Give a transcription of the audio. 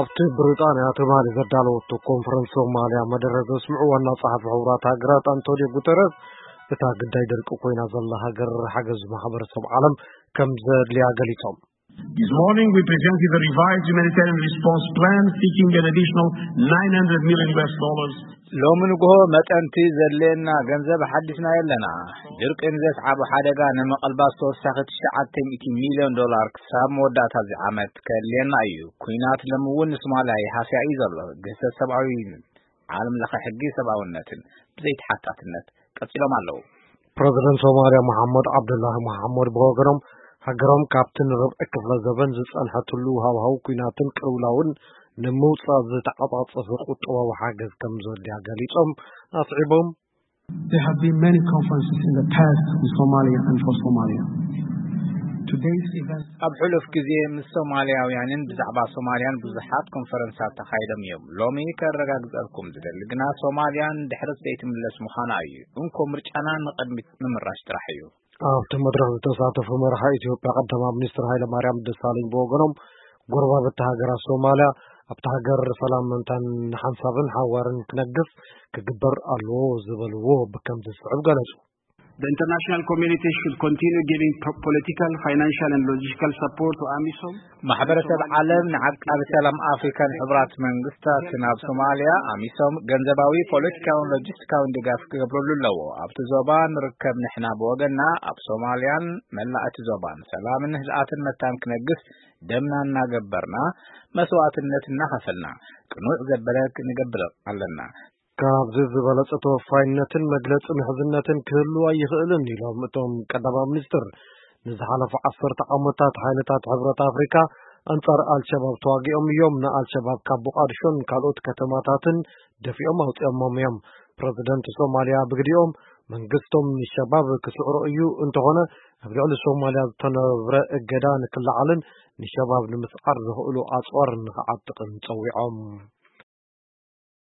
ኣብቲ ብሪጣንያ ትማሊ ዘዳለወቶ ኮንፈረንስ ሶማልያ መደረ ዘስምዑ ዋና ጸሓፊ ሕቡራት ሃገራት ኣንቶኒዮ ጉተረስ፣ እታ ግዳይ ደርቂ ኮይና ዘላ ሃገር ሓገዝ ማሕበረሰብ ዓለም ከም ዘድልያ ገሊጾም። This morning we presented a revised humanitarian response plan seeking an additional nine hundred million U S dollars. ሎሚ ንግሆ መጠንቲ ዘድልየና ገንዘብ ሓዲስና የለና። ድርቂ ንዘስዓቦ ሓደጋ ንምቕልባስ ተወሳኺ ትሽዓተ ሚእቲ ሚልዮን ዶላር ክሳብ መወዳእታ እዚ ዓመት ከድልየና እዩ። ኩናት ሎም እውን ንሶማልያ ይሃስያ እዩ ዘሎ። ግህሰት ሰብኣዊ ዓለም ለኸ ሕጊ ሰብኣውነትን ብዘይተሓታትነት ቀጺሎም ኣለዉ። ፕረዚደንት ሶማልያ መሓመድ ዓብዱላሂ መሓመድ ብወገኖም፣ ሃገሮም ካብቲ ንርብዒ ክፍለ ዘበን ዝጸንሐትሉ ሃዋህው ኩናትን ቅልውላውን ንምውጻእ ዝተዓጻጸፈ ቁጠባዊ ሓገዝ ከም ዘድልያ ገሊጾም፣ ኣስዒቦም። There have been many conferences in the past with Somalia and for Somalia. Today's event ኣብ ሕሉፍ ግዜ ምስ ሶማልያውያንን ብዛዕባ ሶማልያን ብዙሓት ኮንፈረንሳት ተኻይዶም እዮም። ሎሚ ከረጋግጸልኩም ዝደሊ ግና ሶማልያን ድሕረት ዘይትምለስ ምዃና እዩ። እንኮ ምርጫና ንቕድሚት ምምራሽ ጥራሕ እዩ። ኣብቲ መድረኽ ዝተሳተፉ መራሒ ኢትዮጵያ ቀዳማይ ሚኒስትር ሃይለ ማርያም ደሳለኝ ብወገኖም፣ ጎረባብቲ ሃገራት ሶማልያ ኣብቲ ሃገር ሰላም መንታን ሓንሳብን ሓዋርን ክነግስ ክግበር ኣለዎ ዝበልዎ ብከም ዝስዕብ ገለጹ። The international community should continue giving po- political, financial, and logistical support to AMISOM. ማሕበረሰብ ዓለም ንዓቃቢ ሰላም ኣፍሪካን ሕቡራት መንግስታትን ኣብ ሶማልያ ኣሚሶም ገንዘባዊ፣ ፖለቲካውን ሎጂስቲካውን ድጋፍ ክገብረሉ ኣለዎ። ኣብቲ ዞባ ንርከብ ንሕና ብወገንና ኣብ ሶማልያን መላእ እቲ ዞባን ሰላምን ህድኣትን መታን ክነግስ ደምና እናገበርና መስዋዕትነት እናኸፈልና ቅኑዕ ዘበለ ክንገብር ኣለና። ካብዚ ዝበለጸ ተወፋይነትን መግለጺ ምሕዝነትን ክህሉ ኣይኽእልን ኢሎም እቶም ቀዳማይ ሚኒስትር። ንዝሓለፉ ዓሰርተ ዓመታት ሓይልታት ሕብረት ኣፍሪካ ኣንጻር ኣልሸባብ ተዋጊኦም እዮም። ንኣልሸባብ ካብ ሞቃዲሾን ካልኦት ከተማታትን ደፊኦም ኣውጺኦሞም እዮም። ፕረዚደንት ሶማልያ ብግዲኦም መንግስቶም ንሸባብ ክስዕሮ እዩ፣ እንተኾነ ኣብ ልዕሊ ሶማልያ ዝተነብረ እገዳ ንክለዓልን ንሸባብ ንምስዓር ዘኽእሉ ኣጽዋር ንክዓጥቕን ጸዊዖም።